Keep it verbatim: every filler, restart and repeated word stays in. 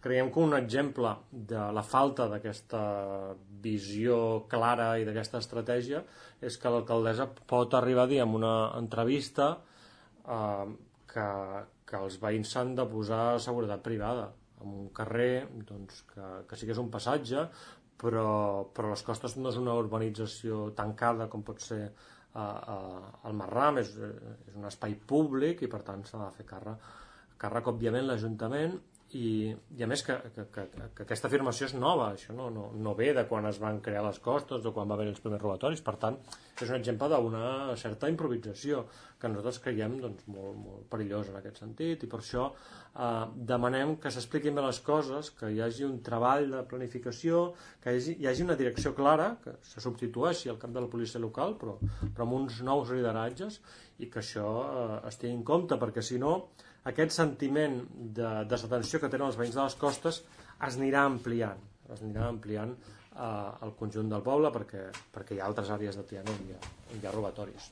creiem que un exemple de la falta d'aquesta visió clara i d'aquesta estratègia és que l'alcaldessa pot arribar a dir en una entrevista eh, que, que els veïns s'han de posar seguretat privada en un carrer doncs, que, que sí que és un passatge, però, però les Costes no és una urbanització tancada com pot ser eh, eh, el Marram, és, és un espai públic i per tant s'ha de fer càrrec, càrrec òbviament l'Ajuntament. I, i a més que, que, que, que aquesta afirmació és nova, això no, no, no ve de quan es van crear les Costes o quan va haver els primers robatoris, per tant és un exemple d'una certa improvisació que nosaltres creiem doncs, molt, molt perillós en aquest sentit, i per això eh, demanem que s'expliquin bé les coses, que hi hagi un treball de planificació, que hi hagi, hi hagi una direcció clara, que se substitueixi al cap de la policia local però, però amb uns nous lideratges, i que això eh, es tingui en compte, perquè si no aquest sentiment de desatenció que tenen els veïns de les Costes es anirà ampliant, es anirà ampliant eh, al conjunt del poble perquè, perquè hi ha altres àrees de Tiana on hi ha, on hi ha robatoris.